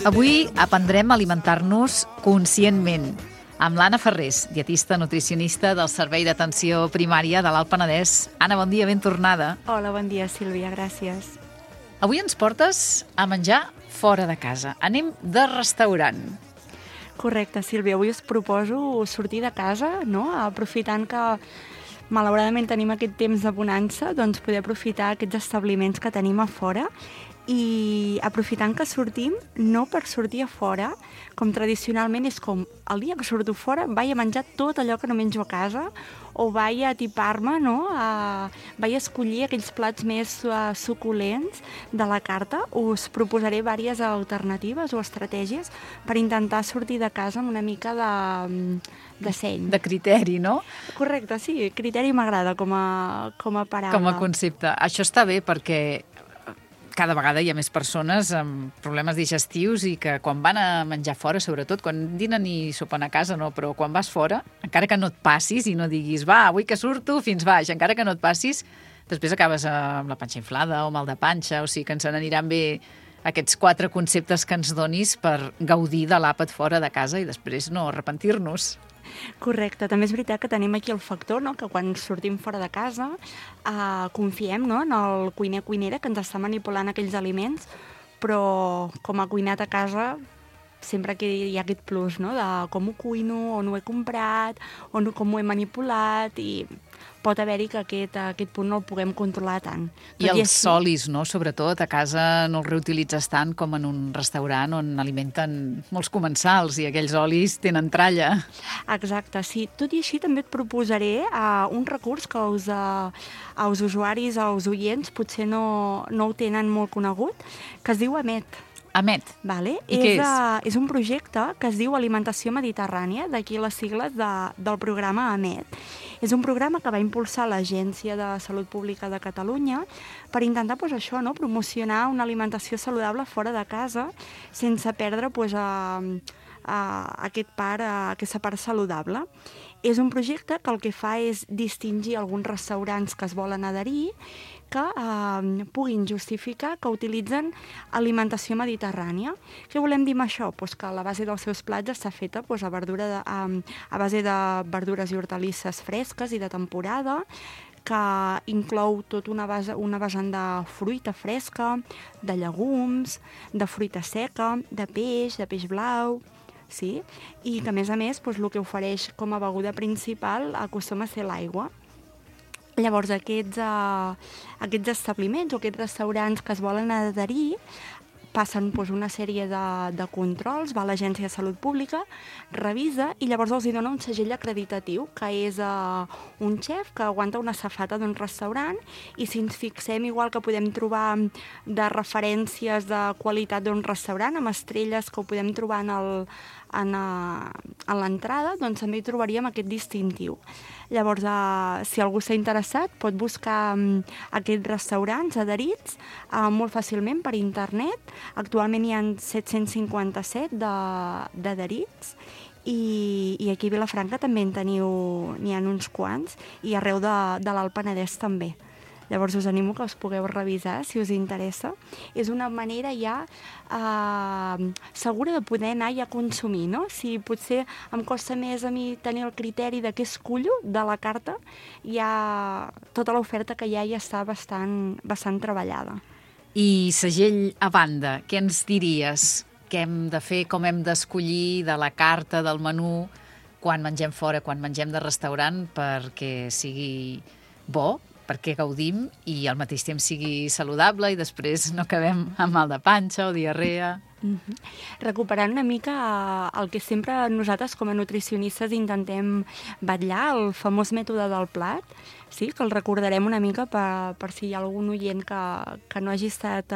Avui aprendrem a alimentar-nos conscientment amb l'Anna Ferrés, dietista nutricionista del Servei d'Atenció Primària de l'Alt Penedès. Anna, bon dia, ben tornada. Hola, bon dia, Sílvia, gràcies. Avui ens portes a menjar fora de casa. Anem de restaurant. Correcte, Sílvia. Avui us proposo sortir de casa, no? Aprofitant que malauradament tenim aquest temps de bonança, doncs poder aprofitar aquests establiments que tenim a fora i aprofitant que sortim, no per sortir a fora, com tradicionalment és com el dia que surto fora vaig a menjar tot allò que no menjo a casa o vaig a tipar-me, no? Vaig a escollir aquells plats més suculents de la carta. Us proposaré diverses alternatives o estratègies per intentar sortir de casa amb una mica de seny. De criteri, no? Correcte, sí, criteri m'agrada com a paraula. Com a concepte. Això està bé perquè cada vegada hi ha més persones amb problemes digestius i que quan van a menjar fora, sobretot quan dinen i sopen a casa, no, però quan vas fora, encara que no et passis i no diguis, va, avui que surto fins baix, encara que no et passis, després acabes amb la panxa inflada o mal de panxa, o sigui que ens n'aniran bé aquests 4 conceptes que ens donis per gaudir de l'àpat fora de casa i després no arrepentir-nos. Correcte, també és veritat que tenim aquí el factor, no?, que quan sortim fora de casa confiem, no?, en el cuiner-cuinera que ens està manipulant aquells aliments, però com a cuinat a casa sempre que hi ha aquest plus, no?, de com ho cuino, on ho he comprat, com ho he manipulat, i pot haver-hi que aquest punt no el puguem controlar tant. I els olis, no?, sobretot, a casa no els reutilitzes tant com en un restaurant on alimenten molts comensals i aquells olis tenen tralla. Exacte, sí. Tot i així també et proposaré un recurs que als usuaris, als oients, potser no ho tenen molt conegut, que es diu AMET. AMET. Vale. I què és? És un projecte que es diu Alimentació Mediterrània, d'aquí les sigles del programa AMET. És un programa que va impulsar l'Agència de Salut Pública de Catalunya per intentar promocionar una alimentació saludable fora de casa sense perdre aquesta part saludable. És un projecte que el que fa és distingir alguns restaurants que es volen adherir que puguin justificar que utilitzen alimentació mediterrània. Què volem dir amb això? Pues que la base dels seus plats està feta a base de verdures i hortalisses fresques i de temporada, que inclou tota una vessant de fruita fresca, de llegums, de fruita seca, de peix blau, sí? I que, a més, el que ofereix com a beguda principal acostuma a ser l'aigua. Llavors, aquests establiments o aquests restaurants que es volen adherir passen una sèrie de controls, va a l'Agència de Salut Pública, revisa i llavors els dona un segell acreditatiu, que és un xef que aguanta una safata d'un restaurant, i si ens fixem, igual que podem trobar de referències de qualitat d'un restaurant, amb estrelles que ho podem trobar a l'entrada, doncs també hi trobaríem aquest distintiu. Llavors, si algú s'ha interessat, pot buscar aquests restaurants adherits molt fàcilment per internet. Actualment hi ha 757 d'adherits i aquí a Vilafranca també n'hi ha uns quants i arreu de l'Alt Penedès també. Llavors us animo que us pugueu revisar si us interessa. És una manera ja segura de poder anar ja a consumir, no? Si potser em costa més a mi tenir el criteri de què escullo de la carta, ja tota l'oferta que hi ha ja està bastant treballada. I segell a banda, què ens diries? Què hem de fer, com hem d'escollir de la carta, del menú, quan mengem fora, quan mengem de restaurant, perquè sigui bo, perquè gaudim i al mateix temps sigui saludable i després no acabem amb mal de panxa o diarrea. Recuperant una mica el que sempre nosaltres com a nutricionistes intentem vetllar, el famós mètode del plat, sí, que el recordarem una mica per si hi ha algun oient que no hagi estat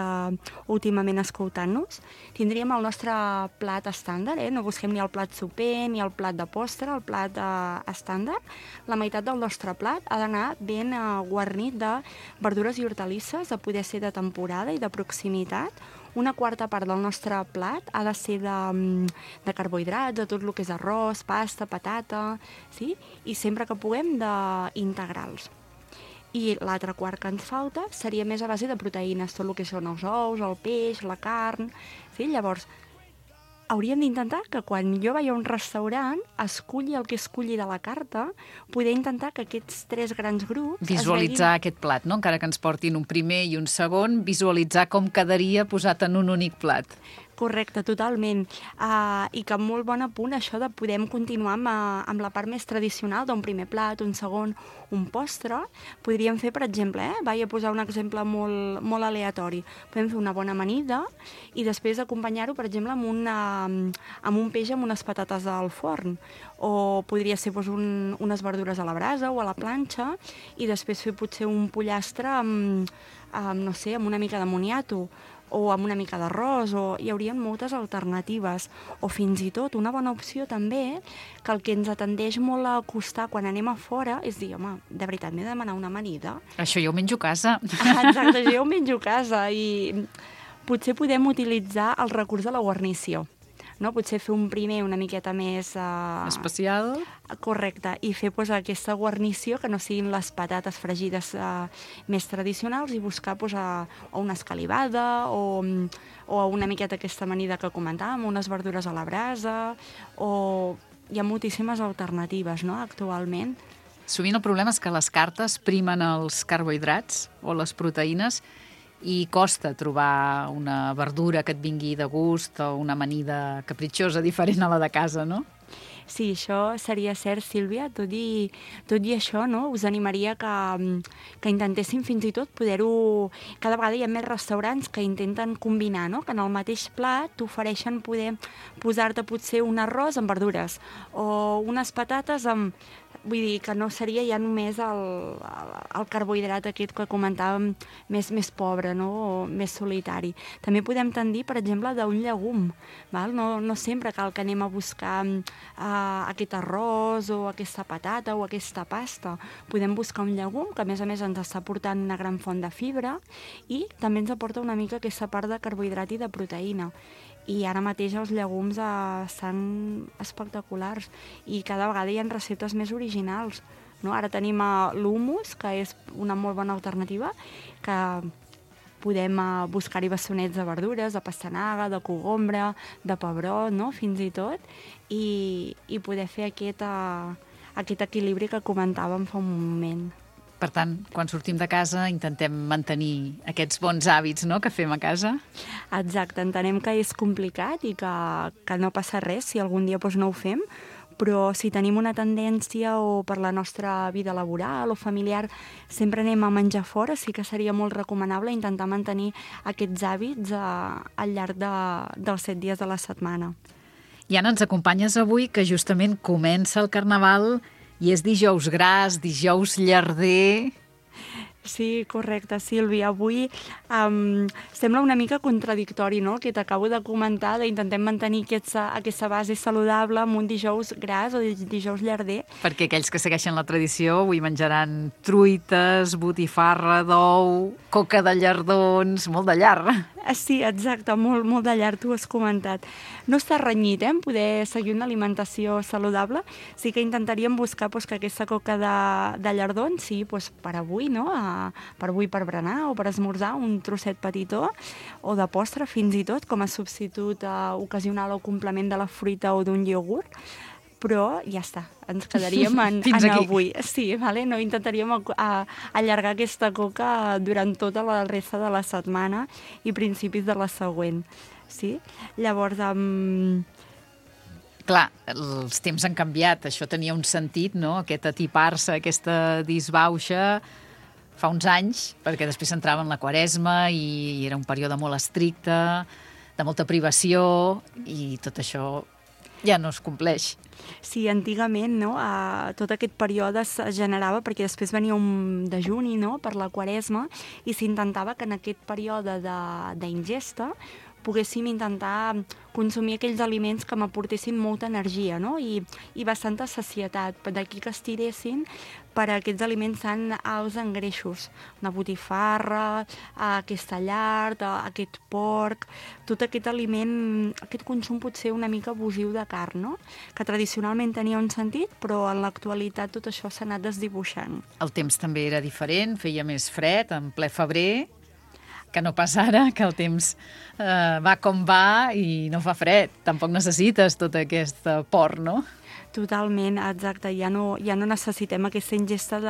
últimament escoltant-nos. Tindríem el nostre plat estàndard, no busquem ni el plat soper ni el plat de postre, el plat estàndard. La meitat del nostre plat ha d'anar ben guarnit de verdures i hortalisses, de poder ser de temporada i de proximitat. Una quarta part del nostre plat ha de ser de carbohidrats, de tot el que és arròs, pasta, patata, sí? I sempre que puguem d'integrals. I l'altre quart que ens falta seria més a base de proteïnes, tot el que són els ous, el peix, la carn, sí? Llavors, hauríem d'intentar que quan jo vaig a un restaurant esculli el que esculli de la carta, poder intentar que aquests 3 grans grups visualitzar aquest plat, no? Encara que ens portin un primer i un segon, visualitzar com quedaria posat en un únic plat. Correcte, totalment. I que molt bon apunt això de podem continuar amb la part més tradicional d'un primer plat, un segon, un postre. Podríem fer, per exemple, vaig a posar un exemple molt, molt aleatori. Podem fer una bona amanida i després acompanyar-ho, per exemple, amb un peix amb unes patates al forn. O podria ser doncs, unes verdures a la brasa o a la planxa i després fer potser un pollastre no sé, amb una mica de moniato o amb una mica d'arròs, hi haurien moltes alternatives. O fins i tot una bona opció també, que el que ens tendeix molt a costar quan anem a fora és dir, home, de veritat, m'he de demanar una amanida? Això jo ho menjo a casa. Exacte, jo ho menjo a casa i potser podem utilitzar el recurs de la guarnició. No? Potser fer un primer una miqueta més... especial. Correcte, i fer doncs, aquesta guarnició que no siguin les patates fregides més tradicionals i buscar doncs, o una escalivada o una miqueta aquesta amanida que comentàvem, unes verdures a la brasa, o hi ha moltíssimes alternatives, no?, actualment. Sovint el problema és que les cartes primen els carbohidrats o les proteïnes i costa trobar una verdura que et vingui de gust o una amanida capritxosa diferent a la de casa, no? Sí, això seria cert, Sílvia. Tot i això, no? Us animaria que intentéssim fins i tot poder-ho... Cada vegada hi ha més restaurants que intenten combinar, no? Que en el mateix plat t'ofereixen poder posar-te potser un arròs amb verdures o unes patates amb... Vull dir que no seria ja només el carbohidrat aquest que comentàvem més pobre, no? O més solitari. També podem tendir, per exemple, d'un llegum. Val? No sempre cal que anem a buscar aquest arròs o aquesta patata o aquesta pasta. Podem buscar un llegum que a més ens està aportant una gran font de fibra i també ens aporta una mica aquesta part de carbohidrat i de proteïna. I ara mateix els llegums estan espectaculars i cada vegada hi ha receptes més originals. No? Ara tenim l'humus, que és una molt bona alternativa, que podem buscar-hi bassonets de verdures, de pastanaga, de cogombre, de pebrot, no? Fins i tot, i poder fer aquest equilibri que comentàvem fa un moment. Per tant, quan sortim de casa intentem mantenir aquests bons hàbits, no?, que fem a casa. Exacte, entenem que és complicat i que no passa res si algun dia no ho fem, però si tenim una tendència o per la nostra vida laboral o familiar sempre anem a menjar fora, sí que seria molt recomanable intentar mantenir aquests hàbits al llarg dels 7 dies de la setmana. I Anna, ens acompanyes avui que justament comença el Carnaval i és dijous gras, dijous llarder. Sí, correcte, Sílvia. Avui sembla una mica contradictori, no?, el que t'acabo de comentar, d'intentem mantenir aquesta base saludable amb un dijous gras o dijous llarder. Perquè aquells que segueixen la tradició avui menjaran truites, botifarra d'ou, coca de llardons, molt de llar. Sí, exacte, molt de llarg, tu has comentat. No està renyit, poder seguir una alimentació saludable. Sí que intentaríem buscar que aquesta coca de llardons, sí, per avui, no?, per avui per berenar o per esmorzar, un trosset petitó, o de postre fins i tot, com a substitut ocasional o complement de la fruita o d'un iogurt, però ja està, ens quedaríem en avui. Sí, vale? No intentaríem allargar aquesta coca durant tota la resta de la setmana i principis de la següent. Sí? Llavors, Clar, els temps han canviat, això tenia un sentit, no?, aquest atipar-se, aquesta disbauxa, fa uns anys, perquè després entrava en la Quaresma i era un període molt estricte, de molta privació, i tot això ja no es compleix. Sí, antigament, no?, tot aquest període es generava perquè després venia un dejuni, no?, per la Quaresma, i s'intentava que en aquest període d'ingesta poguéssim intentar consumir aquells aliments que m'aportessin molta energia, no?, i bastanta sacietat, d'aquí que estiressin per a aquests aliments tan alts en greixos. Una botifarra, aquesta llard, aquest porc, tot aquest aliment, aquest consum potser una mica abusiu de carn, no?, que tradicionalment tenia un sentit, però en l'actualitat tot això s'ha anat desdibuixant. El temps també era diferent, feia més fred, en ple febrer. que no pas ara, que el temps va com va i no fa fred. Tampoc necessites tot aquest port, no? Totalment, exacte. Ja no necessitem aquesta ingesta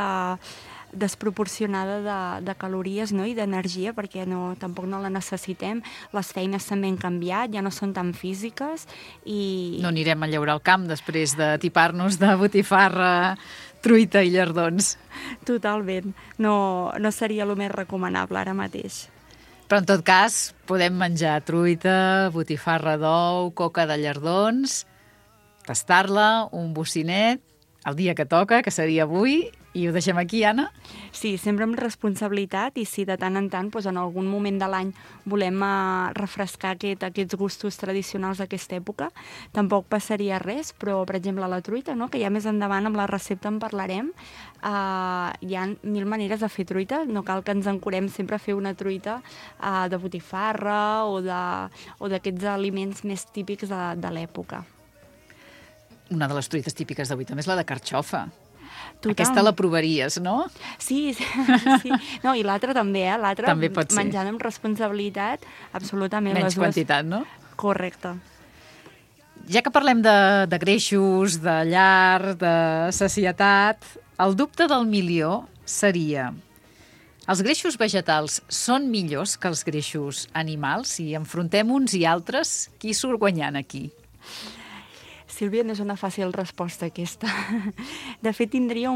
desproporcionada de calories, no? I d'energia, perquè tampoc no la necessitem. Les feines també han canviat, ja no són tan físiques i... No anirem a llaurar el camp després de tipar-nos de botifarra, truita i llardons. Totalment. No seria el més recomanable ara mateix. Però en tot cas, podem menjar truita, botifarra d'ou, coca de llardons, tastar-la, un bocinet, el dia que toca, que seria avui, i ho deixem aquí, Anna? Sí, sempre amb responsabilitat, i si de tant en tant, en algun moment de l'any volem refrescar aquests gustos tradicionals d'aquesta època, tampoc passaria res, però, per exemple, la truita, no? Que ja més endavant amb la recepta en parlarem, hi ha 1000 maneres de fer truita, no cal que ens encurem sempre a fer una truita de botifarra o d'aquests aliments més típics de l'època. Una de les truites típiques d'avui també és la de carxofa. Total. Aquesta la provaries, no? Sí. No, i l'altra també, l'altra també pot ser. Menjant amb responsabilitat, absolutament. Menys quantitat, no? Correcte. Ja que parlem de greixos, de llar, de sacietat, el dubte del milió seria: els greixos vegetals són millors que els greixos animals? Si enfrontem uns i altres, qui surt guanyant aquí? Sílvia, no és una fàcil resposta aquesta. De fet, tindria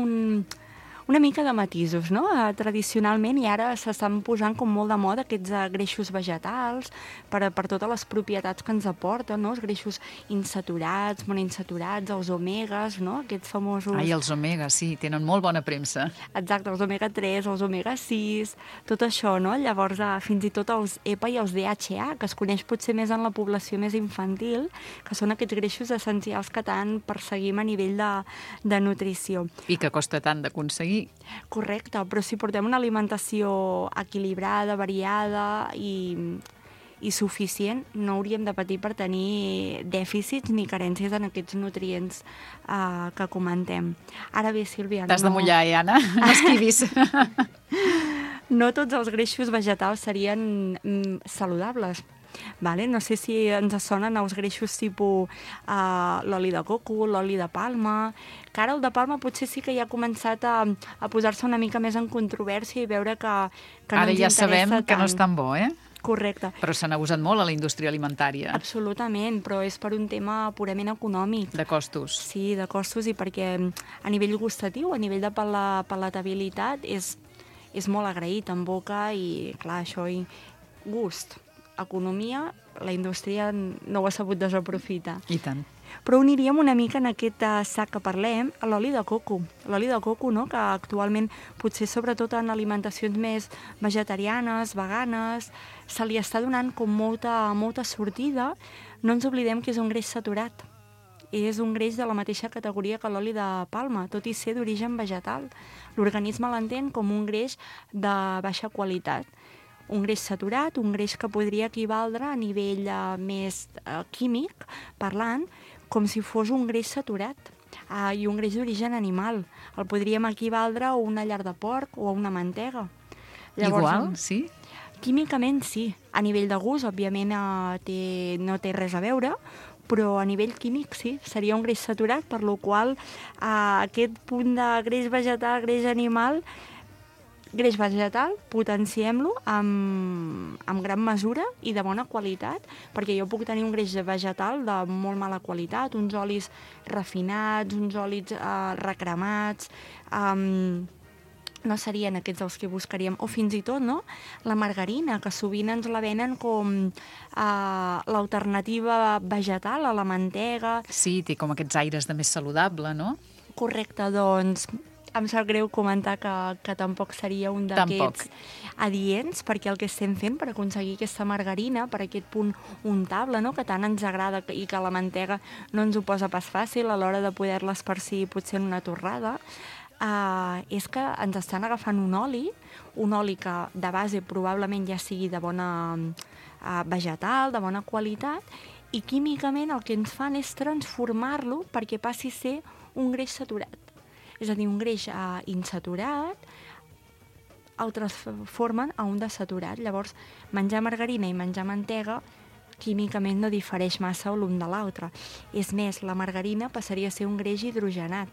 una mica de matisos, no? Tradicionalment, i ara s'estan posant com molt de moda aquests greixos vegetals per totes les propietats que ens aporten, no? Els greixos insaturats, monoinsaturats, els omegues, no? Aquests famosos... Ai, els omegues, sí, tenen molt bona premsa. Exacte, els omega-3, els omega-6, tot això, no? Llavors, fins i tot els EPA i els DHA, que es coneix potser més en la població més infantil, que són aquests greixos essencials que tant perseguim a nivell de nutrició. I que costa tant d'aconseguir. Correcte, però si portem una alimentació equilibrada, variada i suficient, no hauríem de patir per tenir dèficits ni carències en aquests nutrients que comentem. Ara bé, Sílvia... T'has de mullar, Anna? No esquivis. No tots els greixos vegetals serien saludables. Vale? No sé si ens sonen els greixos tipus l'oli de coco, l'oli de palma, que ara el de palma potser sí que ja ha començat a posar-se una mica més en controvèrsia i veure que no ens interessa tant. Ara ja sabem que no és tan bo, eh? Correcte. Però s'han abusat molt a la indústria alimentària. Absolutament, però és per un tema purament econòmic. De costos. Sí, de costos, i perquè a nivell gustatiu, a nivell de palatabilitat, és molt agraït en boca i, clar, això i gust. Economia, la indústria no ho ha sabut desaprofitar. I tant. Però uniríem una mica en aquest sac que parlem a l'oli de coco. L'oli de coco, no?, que actualment, potser sobretot en alimentacions més vegetarianes, veganes, se li està donant com molta sortida. No ens oblidem que és un greix saturat. És un greix de la mateixa categoria que l'oli de palma, tot i ser d'origen vegetal. L'organisme l'entén com un greix de baixa qualitat. Un greix saturat, un greix que podria equivaldre a nivell més químic, parlant, com si fos un greix saturat i un greix d'origen animal. El podríem equivaldre a una llar de porc o a una mantega. Llavors, igual, sí? Químicament sí. A nivell de gust, òbviament, no té res a veure, però a nivell químic sí, seria un greix saturat, per lo qual aquest punt de greix vegetal, greix animal, potenciem-lo amb gran mesura i de bona qualitat, perquè jo puc tenir un greix vegetal de molt mala qualitat, uns olis refinats, uns olis recremats, no serien aquests els que buscaríem. O fins i tot, no?, la margarina, que sovint ens la venen com l'alternativa vegetal a la mantega. Sí, té com aquests aires de més saludable, no? Correcte, doncs em sap greu comentar que tampoc seria un d'aquests adients, perquè el que estem fent per aconseguir aquesta margarina, per aquest punt untable, no?, que tant ens agrada i que la mantega no ens ho posa pas fàcil a l'hora de poder-la esparcir potser en una torrada, és que ens estan agafant un oli que de base probablement ja sigui de bona vegetal, de bona qualitat, i químicament el que ens fan és transformar-lo perquè passi a ser un greix saturat. És a dir, un greix insaturat, autotransformen a un desaturat. Llavors, menjar margarina i menjar mantega químicament no difereix massa l'un de l'altre. És més, la margarina passaria a ser un greix hidrogenat,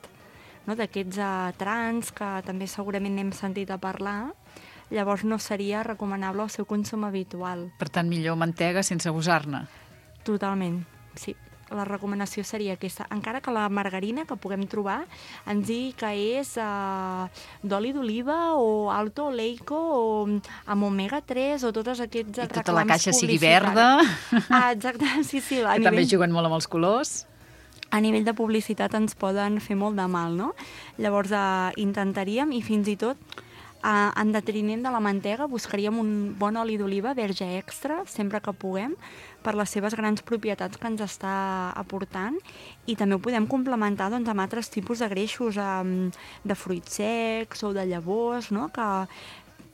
no? D'aquests trans que també segurament n'hem sentit a parlar. Llavors no seria recomanable el seu consum habitual. Per tant, millor mantega sense abusar-ne. Totalment, sí. La recomanació seria aquesta. Encara que la margarina que puguem trobar ens digui que és d'oli d'oliva o alto oleico o amb omega-3 o tots aquests reclams publicitaris. I tota la caixa sigui verda. Exacte, sí. Que també juguen molt amb els colors. A nivell de publicitat ens poden fer molt de mal, no? Llavors intentaríem, i fins i tot en detriment de la mantega, buscaríem un bon oli d'oliva verge extra, sempre que puguem, per les seves grans propietats que ens està aportant, i també ho podem complementar doncs, amb altres tipus de greixos, de fruits secs o de llavors, no? Que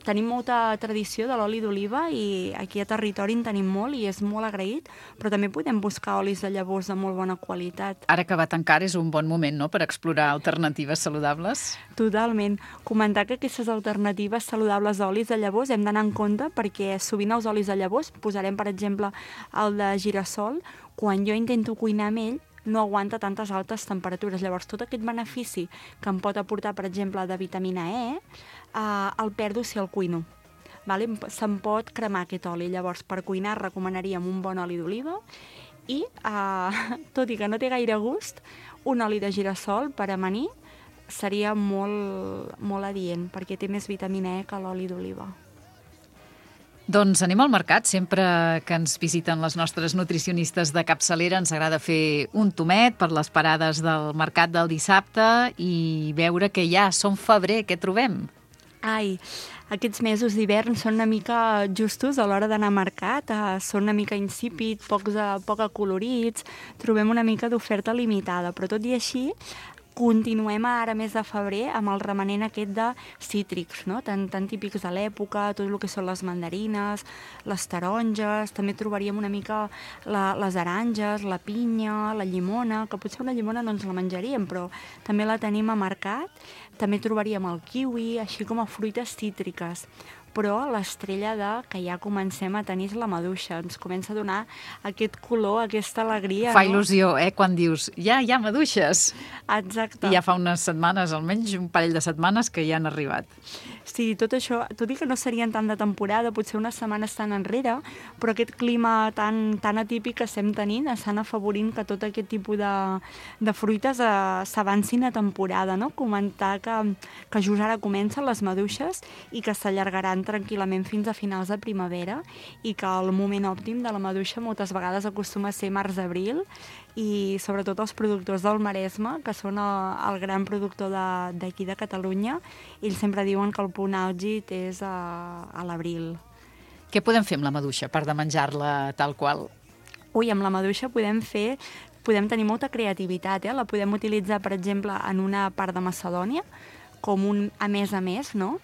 tenim molta tradició de l'oli d'oliva i aquí a territori en tenim molt i és molt agraït, però també podem buscar olis de llavors de molt bona qualitat. Ara que va tancar és un bon moment, no?, per explorar alternatives saludables. Totalment. Comentar que aquestes alternatives saludables d'olis de llavors hem d'anar en compte perquè sovint els olis de llavors, posarem per exemple el de girassol, quan jo intento cuinar amb ell, no aguanta tantes altes temperatures. Llavors, tot aquest benefici que em pot aportar, per exemple, de vitamina E, el perdo si el cuino. Vale? Se'n pot cremar aquest oli. Llavors, per cuinar recomanaríem un bon oli d'oliva i, tot i que no té gaire gust, un oli de girassol per amanir seria molt, molt adient, perquè té més vitamina E que l'oli d'oliva. Doncs anem al mercat. Sempre que ens visiten les nostres nutricionistes de capçalera ens agrada fer un tomet per les parades del mercat del dissabte i veure que ja som febrer. Què trobem? Ai, aquests mesos d'hivern són una mica justos a l'hora d'anar a mercat, són una mica insípid, poc acolorits, trobem una mica d'oferta limitada, però tot i així continuem ara mes de febrer amb el remanent aquest de cítrics, no? tan típics de l'època, tot el que són les mandarines, les taronges, també trobaríem una mica les aranges, la pinya, la llimona, que potser una llimona no ens la menjaríem, però també la tenim a mercat. També trobaríem el kiwi, així com a fruites cítriques. Però l'estrella que ja comencem a tenir és la maduixa. Ens comença a donar aquest color, aquesta alegria. Fa il·lusió, quan dius, ja hi ha maduixes. Exacte. I ja fa unes setmanes, almenys un parell de setmanes, que ja han arribat. Sí, tot això, tot i que no serien tant de temporada, potser unes setmanes tan enrere, però aquest clima tan atípic que estem tenint estan afavorint que tot aquest tipus de fruites s'avancin a temporada, no? Comentar que just ara comencen les maduixes i que s'allargaran tranquil·lament fins a finals de primavera i que el moment òptim de la maduixa moltes vegades acostuma a ser març-abril i sobretot els productors del Maresme, que són el gran productor d'aquí de Catalunya, ells sempre diuen que el punt àlgid és a l'abril. Què podem fer amb la maduixa, a part de menjar-la tal qual? Ui, amb la maduixa podem tenir molta creativitat, La podem utilitzar, per exemple, en una part de Macedònia, com un a més, no?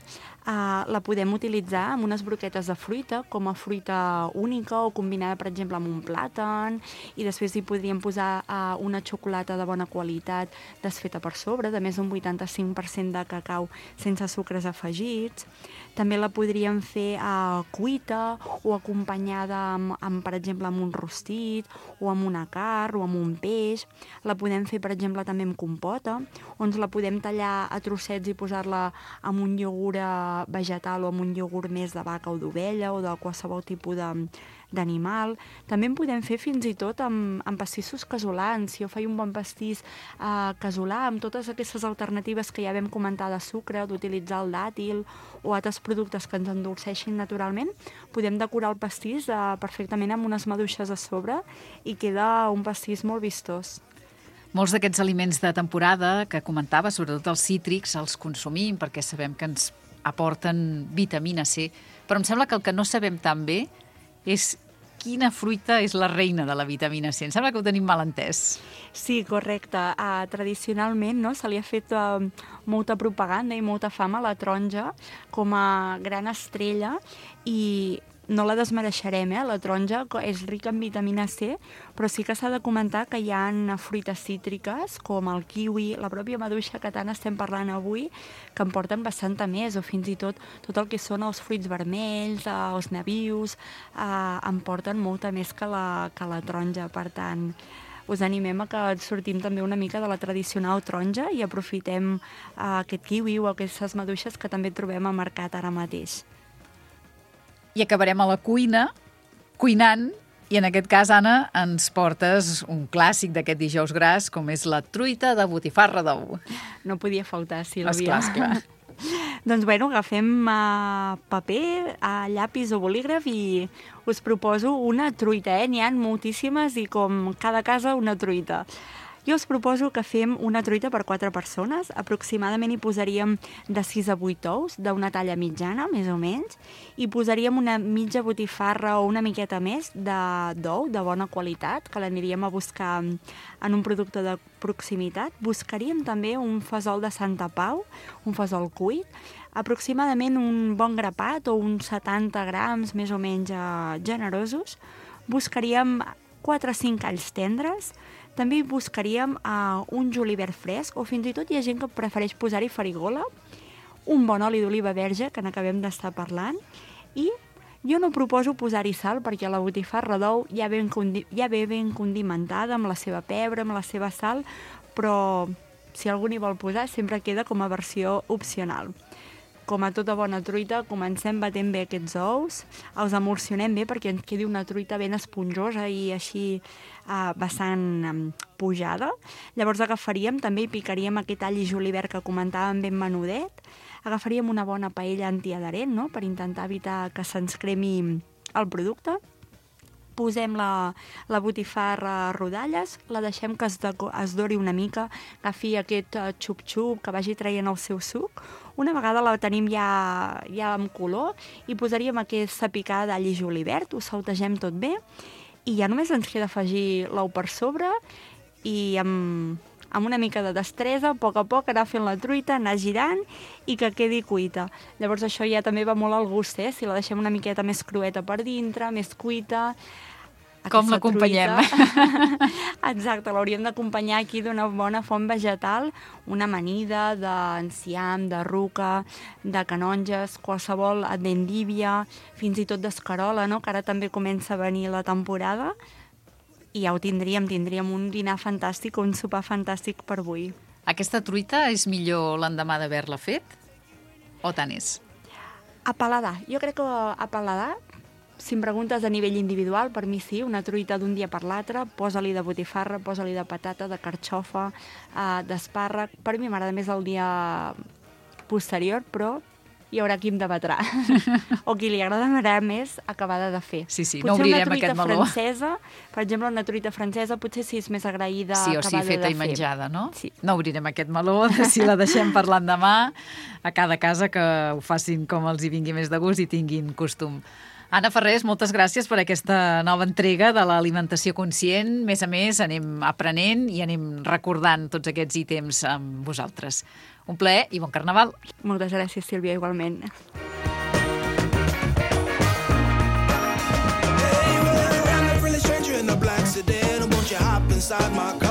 La podem utilitzar amb unes broquetes de fruita, com a fruita única o combinada, per exemple, amb un plàtan, i després hi podríem posar una xocolata de bona qualitat desfeta per sobre, de més d'un 85% de cacau sense sucres afegits. També la podríem fer cuita o acompanyada amb, per exemple, amb un rostit o amb una carn o amb un peix. La podem fer, per exemple, també amb compota, on la podem tallar a trossets i posar-la amb un iogurt vegetal o amb un iogurt més de vaca o d'ovella o de qualsevol tipus d'animal. També en podem fer fins i tot amb pastissos casolans. Si jo faig un bon pastís casolà amb totes aquestes alternatives que ja vam comentar de sucre, d'utilitzar el dàtil o altres productes que ens endolceixin naturalment, podem decorar el pastís perfectament amb unes maduixes a sobre i queda un pastís molt vistós. Molts d'aquests aliments de temporada que comentava, sobretot els cítrics, els consumim perquè sabem que ens aporten vitamina C, però em sembla que el que no sabem tan bé és quina fruita és la reina de la vitamina C. Em sembla que ho tenim mal entès. Sí, correcte. Tradicionalment se li ha fet molta propaganda i molta fama a la taronja com a gran estrella i no la desmereixerem, la taronja és rica en vitamina C, però sí que s'ha de comentar que hi ha fruites cítriques, com el kiwi, la pròpia maduixa que tant estem parlant avui, que en porten bastanta més, o fins i tot el que són els fruits vermells, els nabius, en porten molta més que la taronja. Per tant, us animem a que sortim també una mica de la tradicional taronja i aprofitem aquest kiwi o aquestes maduixes que també trobem al mercat ara mateix. I acabarem a la cuina, cuinant, i en aquest cas, Anna, ens portes un clàssic d'aquest dijous gras, com és la truita de botifarra d'ou. No podia faltar, Sílvia. Esclar. Doncs bueno, agafem paper, llapis o bolígraf i us proposo una truita, N'hi ha moltíssimes i com cada casa una truita. Jo us proposo que fem una truita per 4 persones. Aproximadament hi posaríem de 6 a 8 ous, d'una talla mitjana, més o menys, i posaríem una mitja botifarra o una miqueta més d'ou, de bona qualitat, que l'aniríem a buscar en un producte de proximitat. Buscaríem també un fesol de Santa Pau, un fesol cuit, aproximadament un bon grapat o uns 70 grams més o menys generosos. Buscaríem 4 o 5 alls tendres. També buscaríem un julivert fresc, o fins i tot hi ha gent que prefereix posar-hi farigola, un bon oli d'oliva verge, que n'acabem d'estar parlant, i jo no proposo posar-hi sal, perquè la botifarra d'ou ja ve ben condimentada, amb la seva pebre, amb la seva sal, però si algú n'hi vol posar, sempre queda com a versió opcional. Com a tota bona truita, comencem batent bé aquests ous, els emulsionem bé perquè ens quedi una truita ben esponjosa i així bastant pujada. Llavors agafaríem, també hi picaríem aquest all i julivert que comentàvem ben menudet, agafaríem una bona paella antiadherent, no?, per intentar evitar que se'ns cremi el producte. Posem la botifarra a rodalles, la deixem que es dori una mica, agafi aquest xup-xup, que vagi traient el seu suc. Una vegada la tenim ja amb color i posaríem aquesta picada d'all i julivert, ho sautegem tot bé i ja només ens queda afegir l'ou per sobre i amb una mica de destresa, a poc anar fent la truita, anar girant i que quedi cuita. Llavors això ja també va molt al gust, si la deixem una miqueta més crueta per dintre, més cuita. Com l'acompanyem? Exacte, l'hauríem d'acompanyar aquí d'una bona font vegetal, una amanida d'enciam, de ruca, de canonges, qualsevol d'endívia, fins i tot d'escarola, no?, que ara també comença a venir la temporada, i ja ho tindríem un dinar fantàstic, un sopar fantàstic per avui. Aquesta truita és millor l'endemà d'haver-la fet? O tant és? A paladar. Jo crec que a paladar, si em preguntes a nivell individual, per mi sí, una truita d'un dia per l'altre, posa-li de botifarra, posa-li de patata, de carxofa, d'espàrrec. Per mi m'agrada més el dia posterior, però hi haurà qui em debatrà. O qui li agradarà més acabada de fer. Sí, no obrirem aquest meló. Francesa, per exemple, una truita francesa, potser sí és més agraïda acabada de fer. Sí, o sí, feta i menjada, no? Sí. No obrirem aquest meló, si la deixem per l'endemà, a cada casa que ho facin com els hi vingui més de gust i tinguin costum. Anna Ferrés, moltes gràcies per aquesta nova entrega de l'alimentació conscient. Més a més, anem aprenent i anem recordant tots aquests ítems amb vosaltres. Un plaer i bon carnaval. Moltes gràcies, Sílvia, igualment. Hey, well, I'm a really stranger in a black sedan. Won't you hop inside my car?